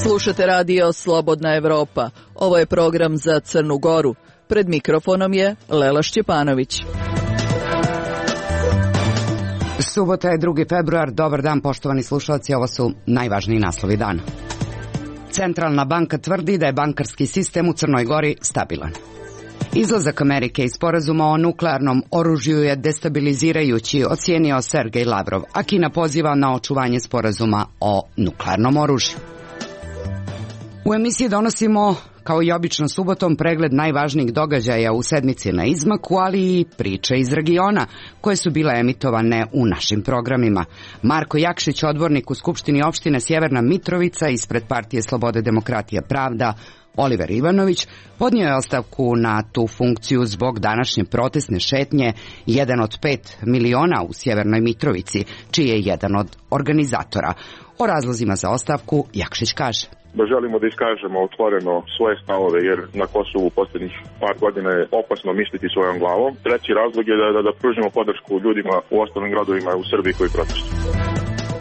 Slušate radio Slobodna Evropa. Ovo je program za Crnu Goru. Pred mikrofonom je Lela Šćepanović. Subota je 2. februar. Dobar dan, poštovani slušalci. Ovo su najvažniji naslovi dana. Centralna banka tvrdi da je bankarski sistem u Crnoj Gori stabilan. Izlazak Amerike iz sporazuma o nuklearnom oružju je destabilizirajući, ocijenio Sergej Lavrov, a Kina poziva na očuvanje sporazuma o nuklearnom oružju. U emisiji donosimo, kao i obično subotom, pregled najvažnijih događaja u sedmici na izmaku, ali i priče iz regiona koje su bile emitovane u našim programima. Marko Jakšić, odbornik u Skupštini opštine Sjeverna Mitrovica ispred Partije Slobode, demokratija, pravda, Oliver Ivanović, podnio je ostavku na tu funkciju zbog današnje protestne šetnje Jedan od 5 miliona u Sjevernoj Mitrovici, čiji je jedan od organizatora. O razlozima za ostavku Jakšić kaže: Želimo da iskažemo otvoreno svoje stavove, jer na Kosovu u posljednjih par godina je opasno misliti svojom glavom. Treći razlog je da pružimo podršku ljudima u ostalim gradovima u Srbiji koji protestuju.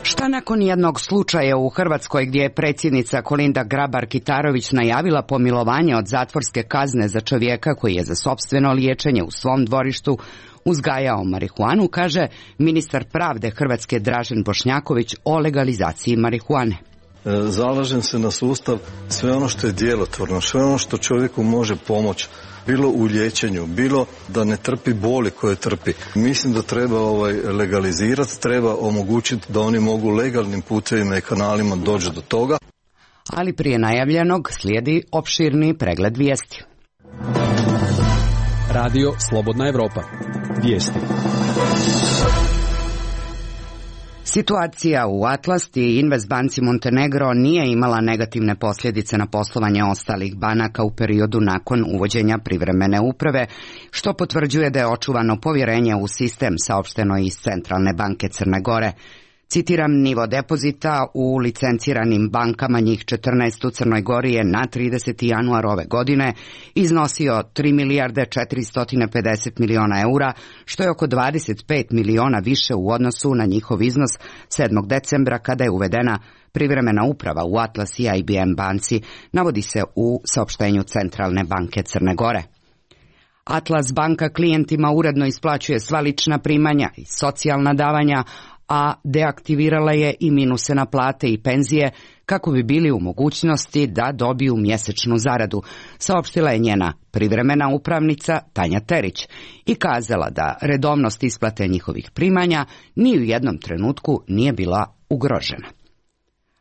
Šta nakon jednog slučaja u Hrvatskoj gdje je predsjednica Kolinda Grabar-Kitarović najavila pomilovanje od zatvorske kazne za čovjeka koji je za sopstveno liječenje u svom dvorištu uzgajao marihuanu, kaže ministar pravde Hrvatske Dražen Bošnjaković o legalizaciji marihuane. Zalažem se na sustav, sve ono što je djelotvorno, sve ono što čovjeku može pomoći, bilo u liječenju, bilo da ne trpi boli koje trpi. Mislim da treba legalizirati, treba omogućiti da oni mogu legalnim putevima i kanalima doći do toga. Ali prije najavljenog slijedi opširni pregled vijesti. Radio Slobodna Evropa. Vijesti. Situacija u Atlasti i Investbanci Montenegro nije imala negativne posljedice na poslovanje ostalih banaka u periodu nakon uvođenja privremene uprave, što potvrđuje da je očuvano povjerenje u sistem, saopšteno iz Centralne banke Crne Gore. Citiram, nivo depozita u licenciranim bankama, njih 14 u Crnoj Gori, je na 30. januar ove godine iznosio 3 milijarde 450 miliona eura, što je oko 25 miliona više u odnosu na njihov iznos 7. decembra kada je uvedena privremena uprava u Atlas i IBM banci, navodi se u saopštenju Centralne banke Crne Gore. Atlas banka klijentima uredno isplaćuje sva lična primanja i socijalna davanja, a deaktivirala je i minuse na plate i penzije kako bi bili u mogućnosti da dobiju mjesečnu zaradu, saopštila je njena privremena upravnica Tanja Terić i kazala da redovnost isplate njihovih primanja ni u jednom trenutku nije bila ugrožena.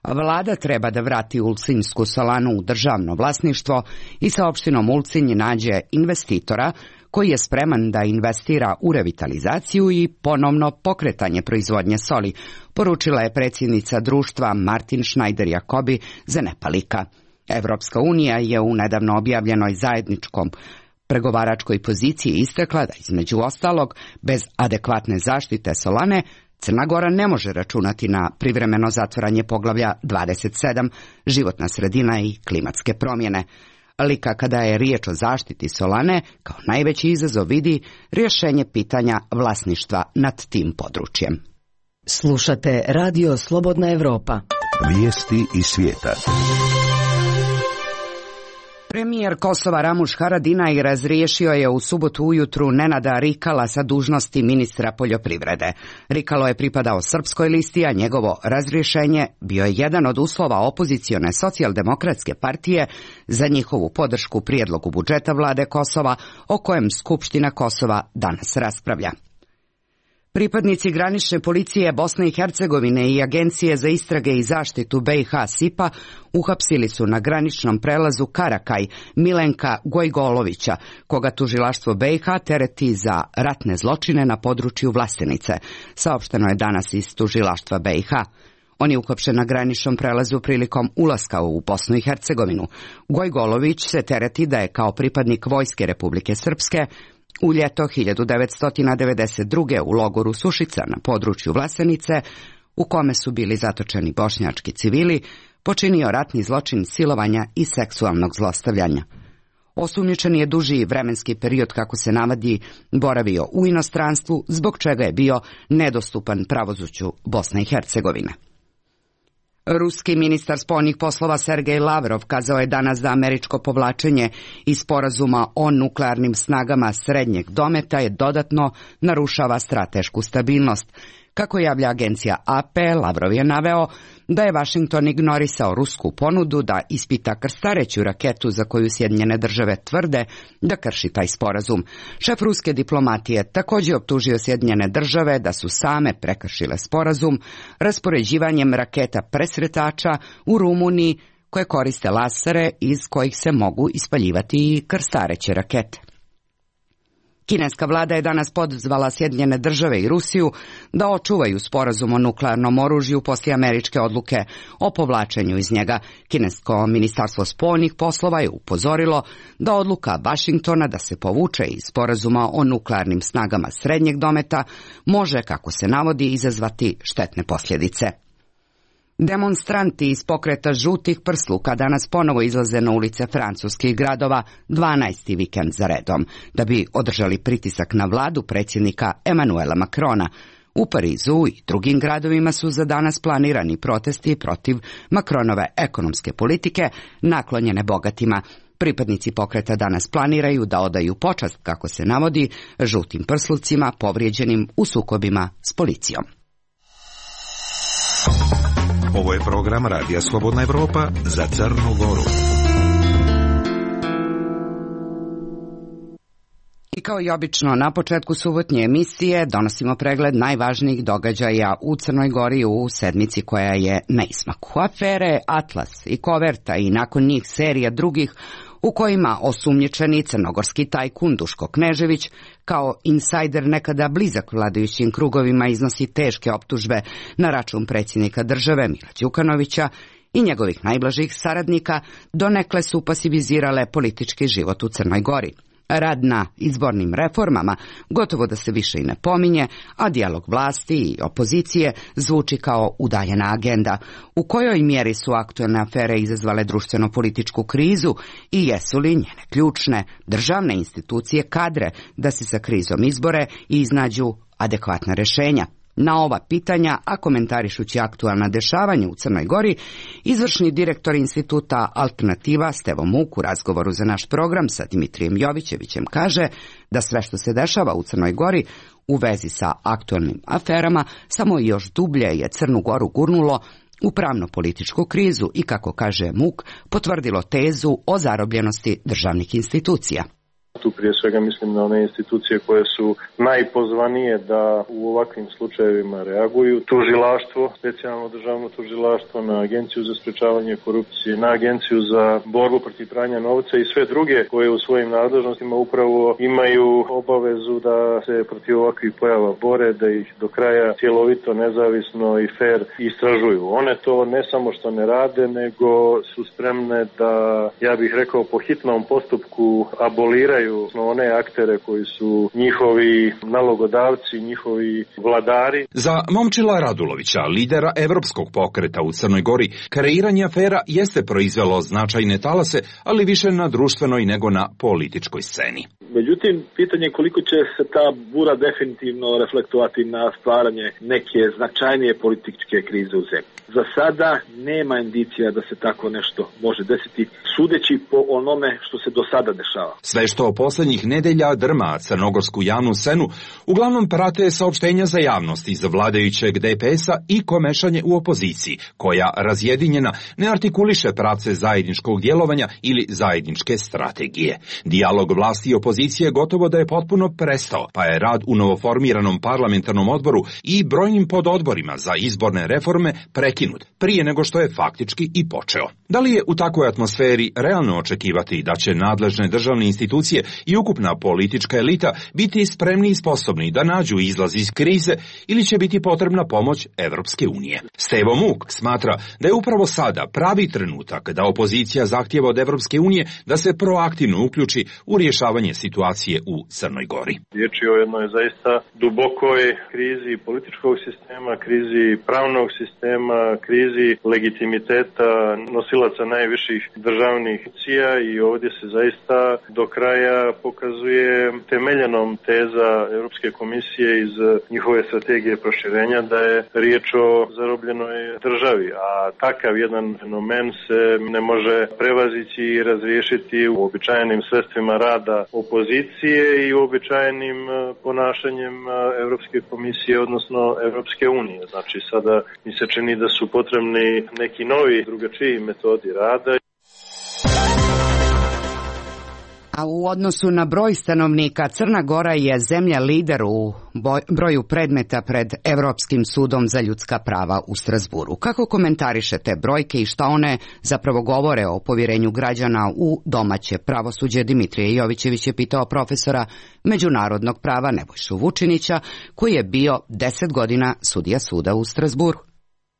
Vlada treba da vrati Ulcinjsku solanu u državno vlasništvo i sa opštinom Ulcinj nađe investitora koji je spreman da investira u revitalizaciju i ponovno pokretanje proizvodnje soli, poručila je predsjednica društva Martin Schneider-Jacobi za Nepalika. Evropska unija je u nedavno objavljenoj zajedničkom pregovaračkoj poziciji istakla da, između ostalog, bez adekvatne zaštite solane, Crna Gora ne može računati na privremeno zatvaranje poglavlja 27, životna sredina i klimatske promjene. Lika kada je riječ o zaštiti solane, kao najveći izazov vidi rješenje pitanja vlasništva nad tim područjem. Slušate radio Slobodna Evropa. Vijesti iz svijeta. Premijer Kosova Ramuš Haradinaj razriješio je u subotu ujutru Nenada Rikala sa dužnosti ministra poljoprivrede. Rikalo je pripadao Srpskoj listi, a njegovo razrješenje bio je jedan od uslova opozicione socijaldemokratske partije za njihovu podršku prijedlogu budžeta vlade Kosova, o kojem Skupština Kosova danas raspravlja. Pripadnici granične policije Bosne i Hercegovine i Agencije za istrage i zaštitu BiH SIPA uhapsili su na graničnom prelazu Karakaj Milenka Gojgolovića, koga tužilaštvo BiH tereti za ratne zločine na području Vlastenice, saopšteno je danas iz tužilaštva BiH. On je uhapšen na graničnom prelazu prilikom ulaska u Bosnu i Hercegovinu. Gojgolović se tereti da je kao pripadnik Vojske Republike Srpske u ljeto 1992. u logoru Sušica na području Vlasenice, u kome su bili zatočeni bošnjački civili, počinio ratni zločin silovanja i seksualnog zlostavljanja. Osumnjičen je duži vremenski period, kako se navodi, boravio u inostranstvu, zbog čega je bio nedostupan pravosuđu Bosne i Hercegovine. Ruski ministar spoljnih poslova Sergej Lavrov kazao je danas da američko povlačenje iz sporazuma o nuklearnim snagama srednjeg dometa je dodatno narušava stratešku stabilnost. Kako javlja agencija AP, Lavrov je naveo da je Vašington ignorisao rusku ponudu da ispita krstareću raketu za koju Sjedinjene države tvrde da krši taj sporazum. Šef ruske diplomatije također optužio Sjedinjene države da su same prekršile sporazum raspoređivanjem raketa presretača u Rumuniji koje koriste lasere iz kojih se mogu ispaljivati i krstareće rakete. Kineska vlada je danas pozvala Sjedinjene države i Rusiju da očuvaju sporazum o nuklearnom oružju poslije američke odluke o povlačenju iz njega. Kinesko ministarstvo spoljnih poslova je upozorilo da odluka Vašingtona da se povuče iz sporazuma o nuklearnim snagama srednjeg dometa može, kako se navodi, izazvati štetne posljedice. Demonstranti iz pokreta žutih prsluka danas ponovo izlaze na ulice francuskih gradova 12. vikend za redom, da bi održali pritisak na vladu predsjednika Emmanuela Macrona. U Parizu i drugim gradovima su za danas planirani protesti protiv Macronove ekonomske politike naklonjene bogatima. Pripadnici pokreta danas planiraju da odaju počast, kako se navodi, žutim prslucima povrijeđenim u sukobima s policijom. Ovo je program Radija Slobodna Evropa za Crnu Goru. I kao i obično, na početku subotnje emisije donosimo pregled najvažnijih događaja u Crnoj Gori u sedmici koja je na izmaku. Afere Atlas i Koverta i nakon njih serija drugih u kojima osumnjičeni crnogorski tajkun Duško Knežević kao insajder nekada blizak vladajućim krugovima iznosi teške optužbe na račun predsjednika države Mila Đukanovića i njegovih najblažih saradnika, donekle su pasivizirale politički život u Crnoj Gori. Rad na izbornim reformama gotovo da se više i ne pominje, a dijalog vlasti i opozicije zvuči kao udaljena agenda. U kojoj mjeri su aktualne afere izazvale društveno-političku krizu i jesu li njene ključne državne institucije kadre da se sa krizom izbore i iznađu adekvatna rješenja? Na ova pitanja, a komentarišući aktualna dešavanja u Crnoj Gori, izvršni direktor instituta Alternativa Stevo Muk u razgovoru za naš program sa Dimitrijem Jovićevićem kaže da sve što se dešava u Crnoj Gori u vezi sa aktualnim aferama samo još dublje je Crnu Goru gurnulo u pravno-političku krizu i, kako kaže Muk, potvrdilo tezu o zarobljenosti državnih institucija. Tu prije svega mislim na one institucije koje su najpozvanije da u ovakvim slučajevima reaguju. Tužilaštvo, specijalno državno tužilaštvo, na Agenciju za sprečavanje korupcije, na Agenciju za borbu protiv pranja novca i sve druge koje u svojim nadležnostima upravo imaju obavezu da se protiv ovakvih pojava bore, da ih do kraja cjelovito, nezavisno i fair istražuju. One to ne samo što ne rade, nego su spremne da, ja bih rekao, po hitnom postupku aboliraju one aktere koji su njihovi nalogodavci, njihovi vladari. Za Momčila Radulovića, lidera Evropskog pokreta u Crnoj Gori, kreiranje afera jeste proizvelo značajne talase, ali više na društvenoj nego na političkoj sceni. Međutim, pitanje je koliko će se ta bura definitivno reflektovati na stvaranje neke značajnije političke krize u zemlji. Za sada nema indicija da se tako nešto može desiti, sudeći po onome što se do sada dešava. Sve što posljednjih nedelja drma crnogorsku javnu scenu uglavnom prate saopštenja za javnost iz vladajućeg DPS-a i komešanje u opoziciji, koja razjedinjena ne artikuliše pravce zajedničkog djelovanja ili zajedničke strategije. Dijalog vlasti i opozicije gotovo da je potpuno prestao, pa je rad u novoformiranom parlamentarnom odboru i brojnim pododborima za izborne reforme prekinut, prije nego što je faktički i počeo. Da li je u takvoj atmosferi realno očekivati da će nadležne državne institucije i ukupna politička elita biti spremni i sposobni da nađu izlaz iz krize ili će biti potrebna pomoć Evropske unije? Stevo Muk smatra da je upravo sada pravi trenutak da opozicija zahtijeva od Evropske unije da se proaktivno uključi u rješavanje situacije u Crnoj Gori. Riječ je o jednoj zaista dubokoj krizi političkog sistema, krizi pravnog sistema, krizi legitimiteta nosilaca najviših državnih institucija i ovdje se zaista do kraja koja pokazuje temeljenom teza Europske komisije iz njihove strategije proširenja da je riječ o zarobljenoj državi, a takav jedan fenomen se ne može prevazići i razriješiti uobičajenim sredstvima rada opozicije i uobičajenim ponašanjem Europske komisije, odnosno Europske unije. Znači sada mi se čini da su potrebni neki novi, drugačiji metodi rada. A u odnosu na broj stanovnika, Crna Gora je zemlja lider u broju predmeta pred Evropskim sudom za ljudska prava u Strazburu. Kako komentarišete brojke i šta one zapravo govore o povjerenju građana u domaće pravosuđe? Dimitrije Jovićević je pitao profesora međunarodnog prava Nebojšu Vučinića, koji je bio 10 godina sudija suda u Strazburu.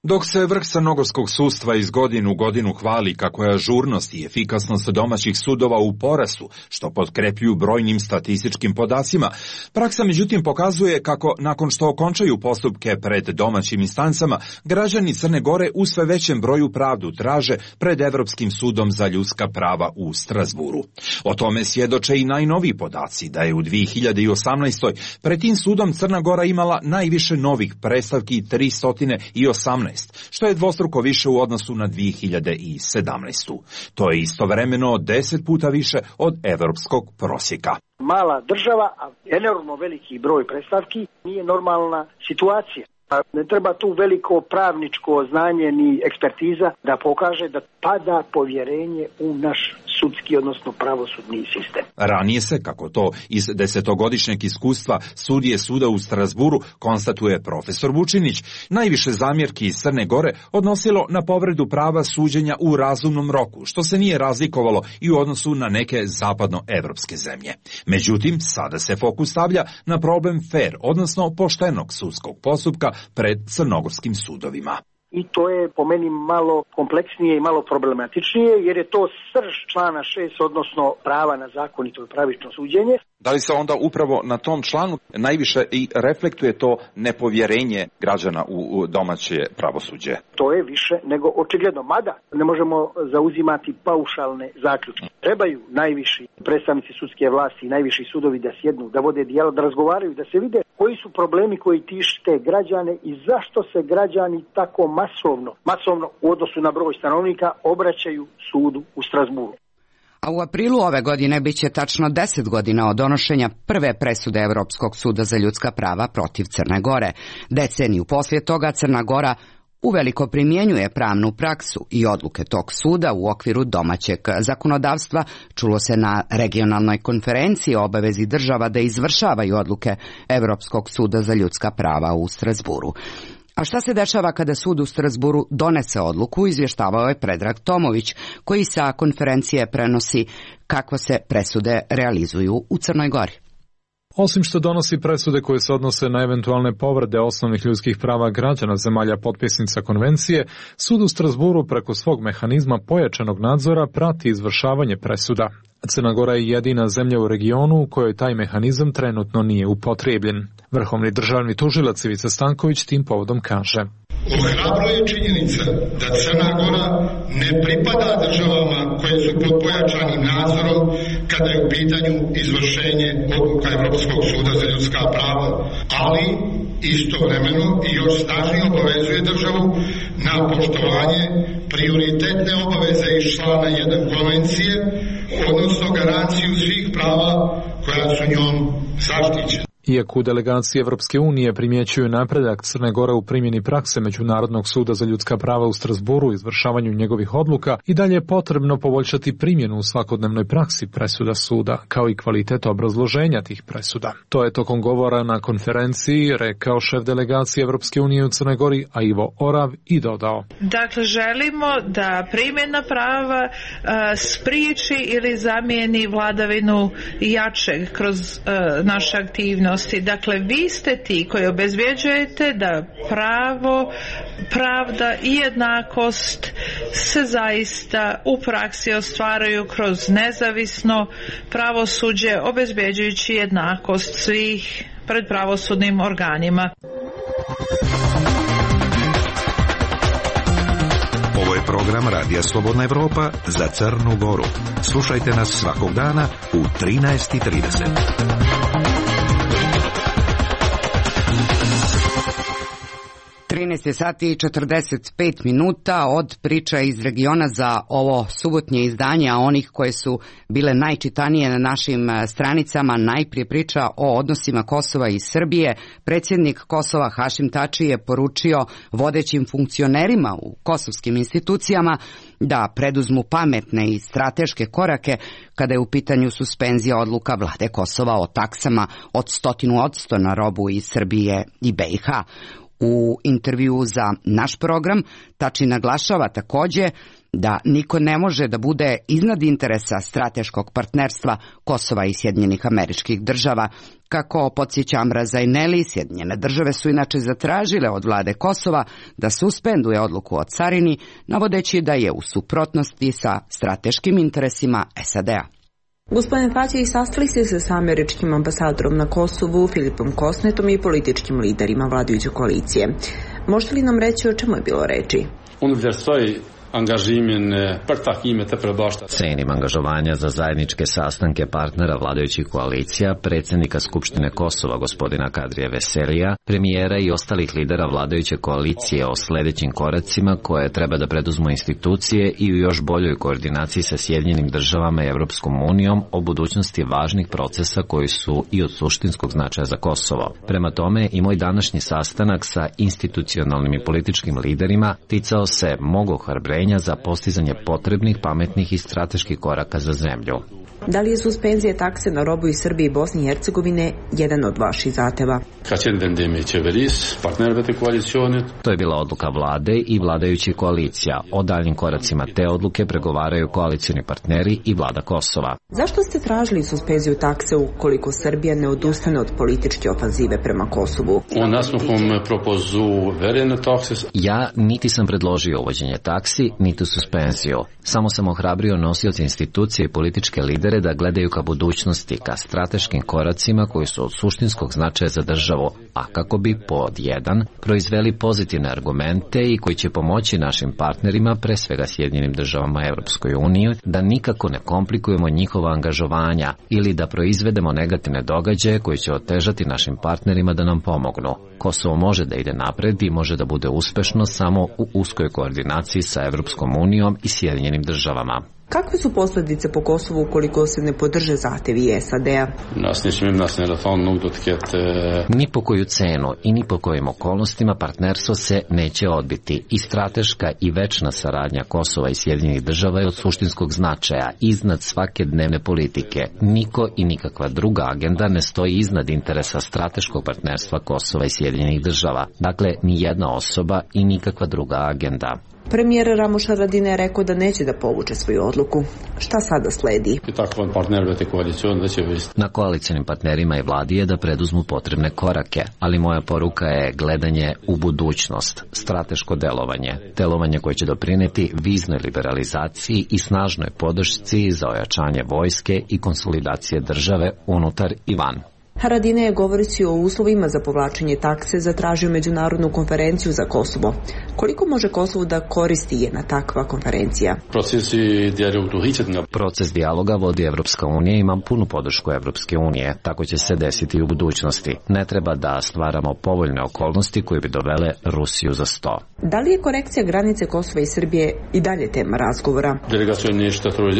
Dok se vrh crnogorskog sudstva iz godine u godinu hvali kako je ažurnost i efikasnost domaćih sudova u porastu, što potkrepljuju brojnim statističkim podacima, praksa međutim pokazuje kako nakon što okončaju postupke pred domaćim instancama, građani Crne Gore u sve većem broju pravdu traže pred Evropskim sudom za ljudska prava u Strazburu. O tome svjedoče i najnoviji podaci da je u 2018. pred tim sudom Crna Gora imala najviše novih predstavki 318, što je dvostruko više u odnosu na 2017. To je istovremeno 10 puta više od evropskog prosjeka. Mala država, a enormno veliki broj predstavki nije normalna situacija. Ne treba tu veliko pravničko znanje ni ekspertiza da pokaže da pada povjerenje u naš sudski, odnosno pravosudni sistem. Ranije se, kako to iz 10-godišnjeg iskustva sudije suda u Strazburu konstatuje profesor Vučinić, najviše zamjerki iz Crne Gore odnosilo na povredu prava suđenja u razumnom roku, što se nije razlikovalo i u odnosu na neke zapadnoevropske zemlje. Međutim, sada se fokus stavlja na problem fair, odnosno poštenog sudskog postupka pred crnogorskim sudovima. I to je po meni malo kompleksnije i malo problematičnije, jer je to srž člana 6, odnosno prava na zakonito i pravično suđenje. Da li se onda upravo na tom članu najviše i reflektuje to nepovjerenje građana u domaće pravosuđe? To je više nego očigledno, mada ne možemo zauzimati paušalne zaključke. Trebaju najviši predstavnici sudske vlasti i najviši sudovi da sjednu, da vode dijalog, da razgovaraju, da se vide koji su problemi koji tište građane i zašto se građani tako masovno u odnosu na broj stanovnika obraćaju sudu u Strazburu. A u aprilu ove godine bit će tačno 10 godina od donošenja prve presude Evropskog suda za ljudska prava protiv Crne Gore. Deceniju poslije toga Crna Gora uveliko primjenjuje pravnu praksu i odluke tog suda u okviru domaćeg zakonodavstva. Čulo se na regionalnoj konferenciji o obavezi država da izvršavaju odluke Evropskog suda za ljudska prava u Strazburu. A šta se dešava kada sud u Strazburu donese odluku, izvještavao je Predrag Tomović, koji sa konferencije prenosi kako se presude realizuju u Crnoj Gori. Osim što donosi presude koje se odnose na eventualne povrede osnovnih ljudskih prava građana zemalja potpisnica konvencije, sud u Strazburu preko svog mehanizma pojačanog nadzora prati izvršavanje presuda. Crna Gora je jedina zemlja u regionu u kojoj taj mehanizam trenutno nije upotrebljen. Vrhovni državni tužilac Ivica Stanković tim povodom kaže: Ohrabruje činjenica da Crna Gora ne pripada državama koje su pod pojačanim nadzorom kada je u pitanju izvršenje odluka Evropskog suda za ljudska prava, ali istovremeno i još snažnije obavezuje državu na poštovanje prioritetne obaveze iz člana 1 konvencije, odnosno garanciju svih prava koja su njom zaštićena. Iako u delegaciji Evropske unije primjećuju napredak Crne Gore u primjeni prakse Međunarodnog suda za ljudska prava u Strazburu i izvršavanju njegovih odluka, i dalje je potrebno poboljšati primjenu u svakodnevnoj praksi presuda suda, kao i kvalitet obrazloženja tih presuda. To je tokom govora na konferenciji rekao šef delegacije Evropske unije u Crnoj Gori, a Ivo Orav, i dodao: Dakle, želimo da primjena prava spriječi ili zamijeni vladavinu jačeg kroz naše aktivnosti. Dakle, vi ste ti koji obezbjeđujete da pravo, pravda i jednakost se zaista u praksi ostvaruju kroz nezavisno pravosuđe, obezbjeđujući jednakost svih pred pravosudnim organima. Ovo je program program Radija Slobodna Evropa za Crnu Goru. Slušajte nas svakog dana u 13:30. 13 sati i 45 minuta od priča iz regiona za ovo subotnje izdanje, a onih koje su bile najčitanije na našim stranicama. Najprije priča o odnosima Kosova i Srbije. Predsjednik Kosova Hašim Tači je poručio vodećim funkcionerima u kosovskim institucijama da preduzmu pametne i strateške korake kada je u pitanju suspenzija odluka vlade Kosova o taksama od 100% na robu iz Srbije i BiH. U intervju za naš program Tači naglašava takođe da niko ne može da bude iznad interesa strateškog partnerstva Kosova i Sjedinjenih Američkih Država. Kako podsjeća Amra Zaineli, Sjedinjene Države su inače zatražile od vlade Kosova da suspenduje odluku o carini, navodeći da je u suprotnosti sa strateškim interesima SAD-a. Gospodine Tači, sastali ste se sa američkim ambasadorom na Kosovu, Filipom Kosnetom i političkim liderima vladajuće koalicije. Možete li nam reći o čemu je bilo reči? Cenim angažovanja za zajedničke sastanke partnera vladajućih koalicija, predsjednika Skupštine Kosova gospodina Kadrija Veselija, premijera i ostalih lidera vladajuće koalicije o sljedećim koracima koje treba da preduzmu institucije i u još boljoj koordinaciji sa Sjedinjenim Državama i Evropskom unijom o budućnosti važnih procesa koji su i od suštinskog značaja za Kosovo. Prema tome i moj današnji sastanak sa institucionalnim i političkim liderima ticao se mog ohrabrenja za postizanje potrebnih, pametnih i strateških koraka za zemlju. Da li je suspenzija takse na robu iz Srbije i Bosne i Hercegovine jedan od vaših zahteva? To je bila odluka vlade i vladajućih koalicija. O daljim koracima te odluke pregovaraju koalicioni partneri i vlada Kosova. Zašto ste tražili suspenziju takse ukoliko Srbija ne odustane od političke ofanzive prema Kosovu? Ja niti sam predložio uvođenje taksi, niti suspenziju. Samo sam ohrabrio nosioce institucije i političke lidere da gledaju ka budućnosti, ka strateškim koracima koji su od suštinskog značaja za državu, a kako bi pod jedan proizveli pozitivne argumente i koji će pomoći našim partnerima, pre svega Sjedinjenim Državama i Evropskoj uniji, da nikako ne komplikujemo njihova angažovanja ili da proizvedemo negativne događaje koji će otežati našim partnerima da nam pomognu. Kosovo može da ide napred i može da bude uspešno samo u uskoj koordinaciji sa Evropskom unijom i Sjedinjenim Državama. Kakve su posljedice po Kosovu ukoliko se ne podrže zahtevi SAD-a? Ni po koju cenu i ni po kojim okolnostima partnerstvo se neće odbiti. I strateška i večna saradnja Kosova i Sjedinjenih Država je od suštinskog značaja, iznad svake dnevne politike. Niko i nikakva druga agenda ne stoji iznad interesa strateškog partnerstva Kosova i Sjedinjenih Država. Dakle, ni jedna osoba i nikakva druga agenda. Premijer Ramuš Haradinaj je rekao da neće da povuče svoju odluku. Šta sada sledi? Na koalicionim partnerima i vladi je da preduzmu potrebne korake, ali moja poruka je gledanje u budućnost, strateško delovanje koje će doprineti viznoj liberalizaciji i snažnoj podršci za ojačanje vojske i konsolidacije države unutar i van. Haradinaj je govoreći o uslovima za povlačenje takse zatražio međunarodnu konferenciju za Kosovo. Koliko može Kosovo da koristi jedna takva konferencija? Proces dijaloga vodi Evropska unija i ima punu podršku Evropske unije. Tako će se desiti i u budućnosti. Ne treba da stvaramo povoljne okolnosti koje bi dovele Rusiju za sto. Da li je korekcija granice Kosova i Srbije i dalje tema razgovora?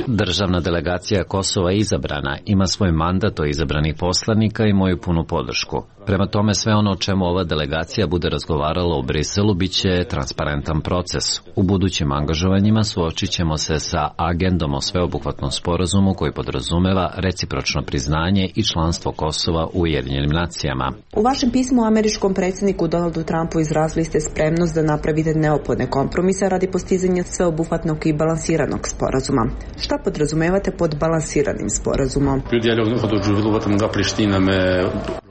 Državna delegacija Kosova je izabrana, ima svoj mandat o izabranih poslanika i moju punu podršku. Prema tome sve ono o čemu ova delegacija bude razgovarala u Briselu bit će transparentan proces. U budućim angažovanjima suočit ćemo se sa agendom o sveobuhvatnom sporazumu koji podrazumeva recipročno priznanje i članstvo Kosova u Ujedinjenim nacijama. U vašem pismu američkom predsjedniku Donaldu Trumpu izrazili ste spremnost da napravite neophodne kompromise radi postizanja sveobuhvatnog i balansiranog sporazuma. Šta podrazumevate pod balansiranim sporazumom?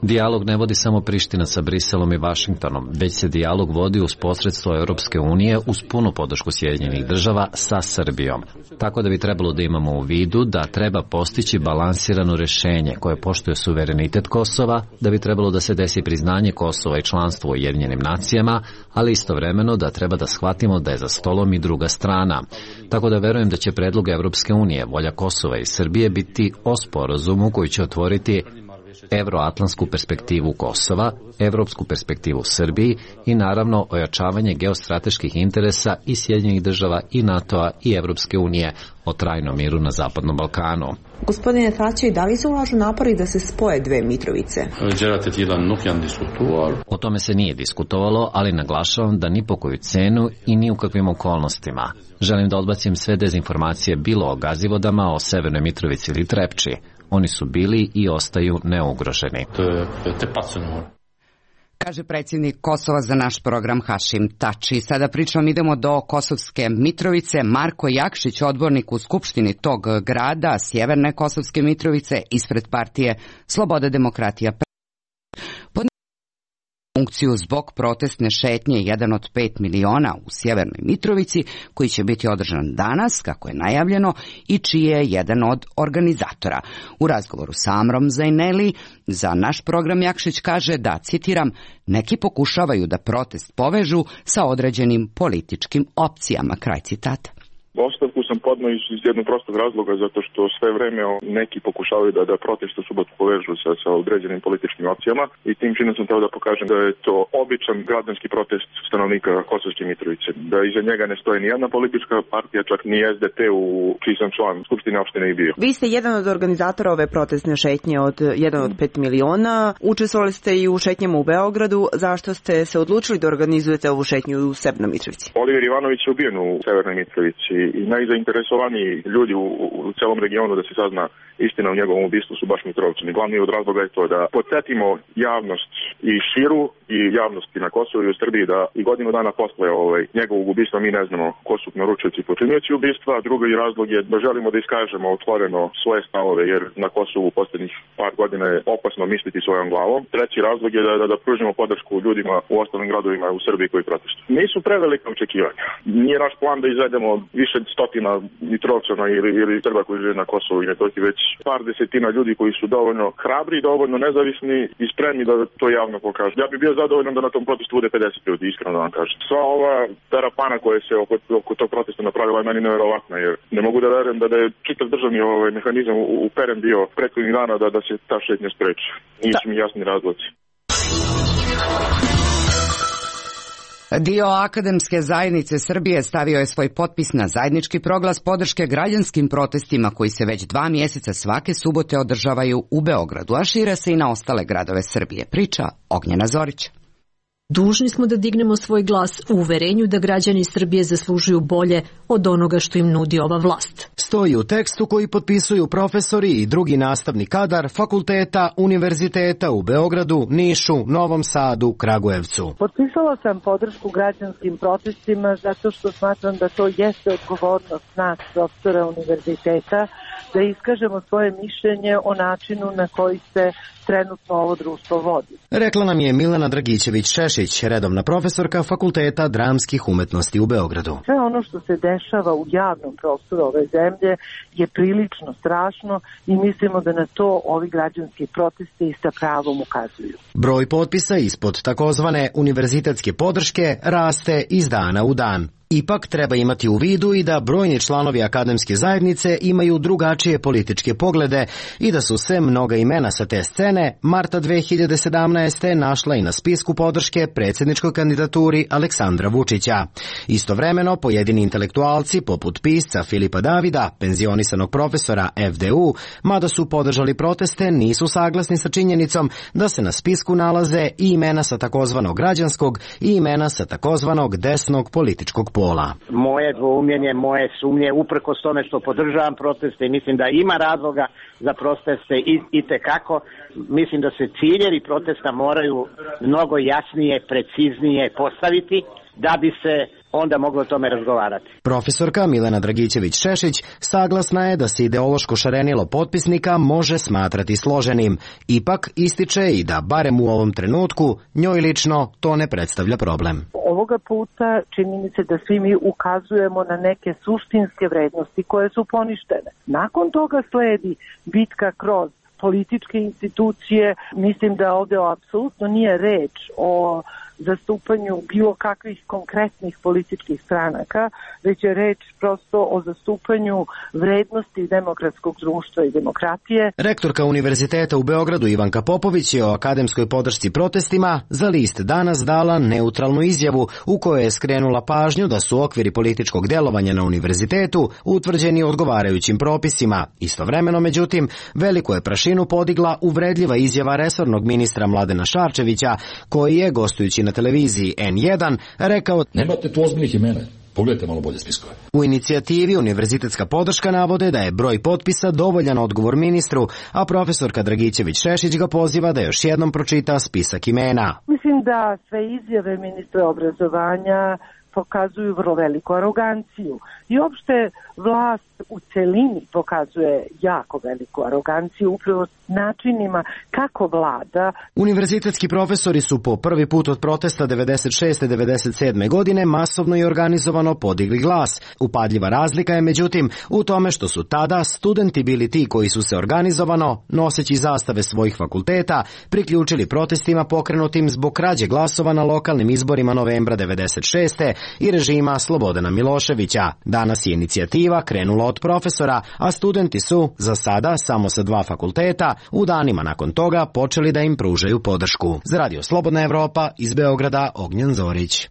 Dijalog ne vodi samo Priština sa Briselom i Vašingtonom, već se dijalog vodi uz posredstvo Europske unije uz punu podršku Sjedinjenih država sa Srbijom. Tako da bi trebalo da imamo u vidu da treba postići balansirano rešenje koje poštuje suverenitet Kosova, da bi trebalo da se desi priznanje Kosova i članstvo u Ujedinjenim nacijama, ali istovremeno da treba da shvatimo da je za stolom i druga strana. Tako da verujem da će predlog Europske unije, volja Kosova i Srbije biti o sporazumu koji će otvoriti evroatlantsku perspektivu Kosova, evropsku perspektivu Srbiji i naravno ojačavanje geostrateških interesa i Sjedinjenih država i NATO-a i Evropske unije o trajnom miru na Zapadnom Balkanu. Gospodine Thaçi, da li se ulažu napori da se spoje dve Mitrovice? O tome se nije diskutovalo, ali naglašavam da ni po koju cenu i ni u kakvim okolnostima. Želim da odbacim sve dezinformacije bilo o Gazivodama, o Severnoj Mitrovici ili Trepči. Oni su bili i ostaju neugroženi. Kaže predsjednik Kosova za naš program Hašim Tači. Sada pričom idemo do Kosovske Mitrovice. Marko Jakšić, odbornik u Skupštini tog grada, Sjeverne Kosovske Mitrovice, ispred partije Sloboda demokratija. Funkciju zbog protestne šetnje 1 od 5 miliona u Sjevernoj Mitrovici, koji će biti održan danas, kako je najavljeno, i čiji je jedan od organizatora. U razgovoru sa Amrom Zajneli za naš program Jakšić kaže da, citiram, neki pokušavaju da protest povežu sa određenim političkim opcijama, kraj citata. Ostavku sam podneo iz jednog prostog razloga, zato što sve vreme neki pokušavaju da protest u subotu povežu sa određenim političkim opcijama i tim činom sam teo da pokažem da je to običan građanski protest stanovnika Kosovske Mitrovice. Da iza njega ne stoji ni jedna politička partija, čak ni SDP u čiji sam član Skupštine opštine i bio. Vi ste jedan od organizatora ove protestne šetnje od 1 od 5 miliona. Učestvovali ste i u šetnjama u Beogradu. Zašto ste se odlučili da organizujete ovu šetnju u Severnoj Mitrovici? Oliver Ivanović je ubijen u Severnoj Mitrovici i najzainteresovaniji ljudi u celom regionu da se sazna istina o njegovom ubistvu su baš Mitrovčani. Glavni od razloga je to da podsjetimo javnost i širu i javnosti na Kosovu i u Srbiji da i godinu dana posle njegovog ubistva mi ne znamo ko su naručioci i počinioci ubistva. Drugi razlog je da želimo da iskažemo otvoreno svoje stavove, jer na Kosovu u posljednjih par godina je opasno misliti svojom glavom. Treći razlog je da pružimo podršku ljudima u ostalim gradovima u Srbiji koji protestuju. Nisu prevelika očekivanja. Nije naš plan da izvedemo više stotina Mitrovčana ili Srba koji žive na Kosovu i Metohiji, već par desetina ljudi koji su dovoljno hrabri, dovoljno nezavisni i spremni da to javno pokažu. Ja bih bio zadovoljan da na tom protestu bude 50 ljudi, iskreno da vam kažem. Sva ova terapana koja se oko tog protesta napravila je meni nevjerovatna, jer ne mogu da verujem da je čitav državni mehanizam uperen bio prethodnih dana da se ta šetnja spreči. Nisu mi jasni razlozi. Dio akademske zajednice Srbije stavio je svoj potpis na zajednički proglas podrške građanskim protestima koji se već 2 mjeseca svake subote održavaju u Beogradu, a šire se i na ostale gradove Srbije. Priča Ognjena Zorić. Dužni smo da dignemo svoj glas u uverenju da građani Srbije zaslužuju bolje od onoga što im nudi ova vlast. Stoji u tekstu koji potpisuju profesori i drugi nastavni kadar fakulteta, univerziteta u Beogradu, Nišu, Novom Sadu, Kragujevcu. Potpisala sam podršku građanskim protestima zato što smatram da to jeste odgovornost nas, profesora univerziteta, da iskažemo svoje mišljenje o načinu na koji se trenutno ovo društvo vodi. Rekla nam je Milena Dragićević-Šešić, redovna profesorka Fakulteta dramskih umetnosti u Beogradu. Sve ono što se dešava u javnom prostoru ove zemlje je prilično strašno i mislimo da na to ovi građanski protesti sa pravom ukazuju. Broj potpisa ispod takozvane univerzitetske podrške raste iz dana u dan. Ipak treba imati u vidu i da brojni članovi akademske zajednice imaju drugačije političke poglede i da su se mnoga imena sa te scene marta 2017. našla i na spisku podrške predsjedničkoj kandidaturi Aleksandra Vučića. Istovremeno, pojedini intelektualci, poput pisca Filipa Davida, penzionisanog profesora FDU, mada su podržali proteste, nisu saglasni sa činjenicom da se na spisku nalaze i imena sa takozvanog građanskog i imena sa takozvanog desnog političkog pola. Moje dvoumljenje, moje sumnje, uprkos tome što podržavam proteste i mislim da ima razloga za proteste i tekako, mislim da se ciljevi protesta moraju mnogo jasnije, preciznije postaviti da bi se onda moglo o tome razgovarati. Profesorka Milena Dragićević-Šešić saglasna je da se ideološko šarenilo potpisnika može smatrati složenim. Ipak ističe i da, barem u ovom trenutku, njoj lično to ne predstavlja problem. Ovoga puta čini mi se da svi mi ukazujemo na neke suštinske vrednosti koje su poništene. Nakon toga sledi bitka kroz političke institucije. Mislim da ovdje apsolutno nije reč o zastupanju bilo kakvih konkretnih političkih stranaka, već je reč prosto o zastupanju vrednosti demokratskog društva i demokratije. Rektorka Univerziteta u Beogradu Ivanka Popović je o akademskoj podršci protestima za list Danas dala neutralnu izjavu u kojoj je skrenula pažnju da su okviri političkog delovanja na univerzitetu utvrđeni odgovarajućim propisima. Istovremeno, međutim, veliku je prašinu podigla uvredljiva izjava resornog ministra Mladena Šarčevića, koji je, gostujući na televiziji N1, rekao: nemate tu ozbiljnih imena. Pogledajte malo bolje spiskove. U inicijativi Univerzitetska podrška navode da je broj potpisa dovoljan odgovor ministru, a profesorka Dragićević-Šešić ga poziva da još jednom pročita spisak imena. Mislim da sve izjave ministra obrazovanja pokazuju vrlo veliku aroganciju i uopšte vlast u celini pokazuje jako veliku aroganciju upravo načinima kako vlada. Univerzitetski profesori su po prvi put od protesta 96. 97. godine masovno i organizovano podigli glas. Upadljiva razlika je međutim u tome što su tada studenti bili ti koji su se organizovano, noseći zastave svojih fakulteta, priključili protestima pokrenutim zbog krađe glasova na lokalnim izborima novembra 96. i režima Slobodana Miloševića. Danas je inicijativa krenula od profesora, a studenti su, za sada samo sa 2 fakulteta, u danima nakon toga počeli da im pružaju podršku. Za Radio Slobodna Evropa, iz Beograda, Ognjen Zorić.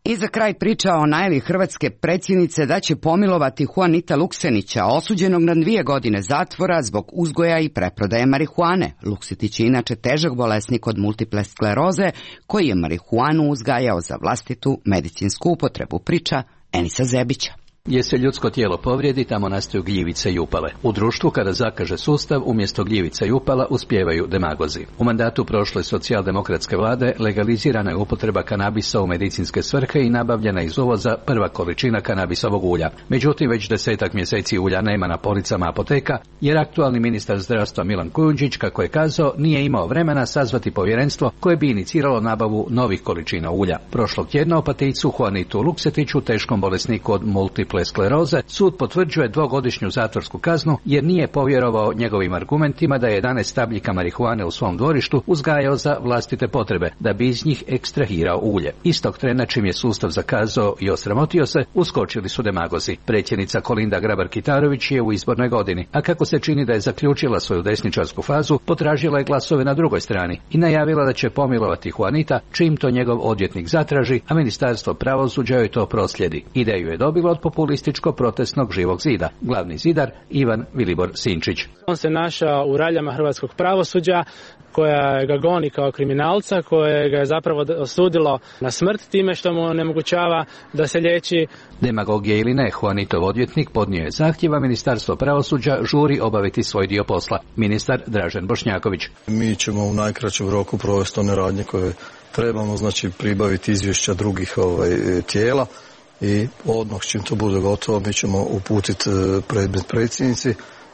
I za kraj priča o najavi hrvatske predsjednice da će pomilovati Juanita Luksenića, osuđenog na 2 godine zatvora zbog uzgoja i preprodaje marihuane. Luksetić je inače težak bolesnik od multiple skleroze koji je marihuanu uzgajao za vlastitu medicinsku upotrebu, priča Enisa Zebića. Gdje se ljudsko tijelo povrijedi, tamo nastaju gljivice i upale. U društvu, kada zakaže sustav, umjesto gljivica i upala uspijevaju demagozi. U mandatu prošle socijaldemokratske vlade legalizirana je upotreba kanabisa u medicinske svrhe i nabavljena iz uvoza prva količina kanabisovog ulja. Međutim, već 10 mjeseci ulja nema na policama apoteka, jer aktualni ministar zdravstva Milan Kujundžić, kako je kazao, nije imao vremena sazvati povjerenstvo koje bi iniciralo nabavu novih količina ulja. Prošlog tjedna Opatijicu Juanitu Luksetiću, teškom bolesniku od multiple skleroze, sud potvrđuje 2-godišnju zatvorsku kaznu jer nije povjerovao njegovim argumentima da je 11 stabljika marihuane u svom dvorištu uzgajao za vlastite potrebe, da bi iz njih ekstrahirao ulje. Istog trena, čim je sustav zakazao i osramotio se, uskočili su demagozi. Predsjednica Kolinda Grabar-Kitarović je u izbornoj godini, a kako se čini da je zaključila svoju desničarsku fazu, potražila je glasove na drugoj strani i najavila da će pomilovati Juanita čim to njegov odvjetnik zatraži, a ministarstvo pravosuđa joj to proslijedi. Ideju je dobilo od populističko-protestnog Živog zida. Glavni zidar Ivan Vilibor Sinčić. On se našao u raljama hrvatskog pravosuđa koja ga goni kao kriminalca, koje ga je zapravo osudilo na smrt time što mu onemogućava da se liječi. Demagogije ili ne, Juanitov odvjetnik podnio je zahtjeva, ministarstvo pravosuđa žuri obaviti svoj dio posla. Ministar Dražen Bošnjaković. Mi ćemo u najkraćem roku provesti one radnje koje trebamo, znači pribaviti izvješća drugih tijela i odmah čim to bude gotovo mi ćemo uputiti predmet predsjednici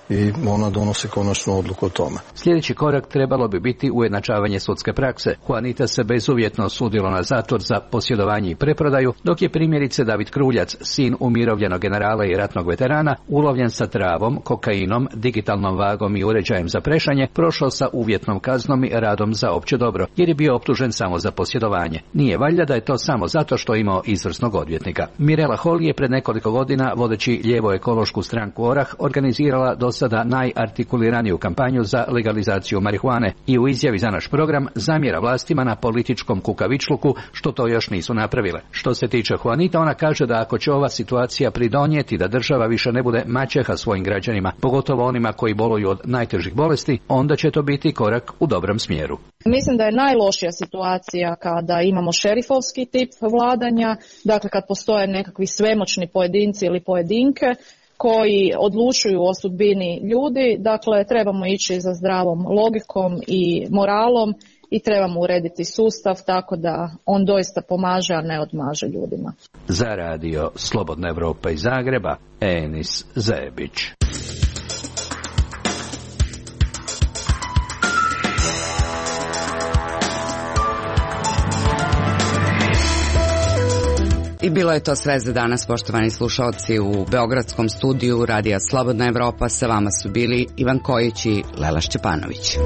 i ona donosi konačnu odluku o tome. Sljedeći korak trebalo bi biti ujednačavanje sudske prakse. Juanita se bezuvjetno osudilo na zatvor za posjedovanje i preprodaju, dok je primjerice David Kruljac, sin umirovljenog generala i ratnog veterana, ulovljen sa travom, kokainom, digitalnom vagom i uređajem za prešanje, prošao sa uvjetnom kaznom i radom za opće dobro, jer je bio optužen samo za posjedovanje. Nije valjda da je to samo zato što je imao izvrsnog odvjetnika. Mirela Holy je pred nekoliko godina, vodeći lijevo ekološku stranku Orah, organizirala sada najartikuliraniju kampanju za legalizaciju marihuane i u izjavi za naš program zamjera vlastima na političkom kukavičluku što to još nisu napravile. Što se tiče Juanita, ona kaže da ako će ova situacija pridonijeti da država više ne bude maćeha svojim građanima, pogotovo onima koji boluju od najtežih bolesti, onda će to biti korak u dobrom smjeru. Mislim da je najlošija situacija kada imamo šerifovski tip vladanja, dakle kad postoje nekakvi svemoćni pojedinci ili pojedinke koji odlučuju o sudbini ljudi. Dakle, trebamo ići za zdravom logikom i moralom i trebamo urediti sustav tako da on doista pomaže, a ne odmaže ljudima. Za radio Slobodna Evropa iz Zagreba, Enis Zebić. I bilo je to sve za danas, poštovani slušalci. U beogradskom studiju Radija Slobodna Evropa sa vama su bili Ivan Kojić i Lela Šćepanović.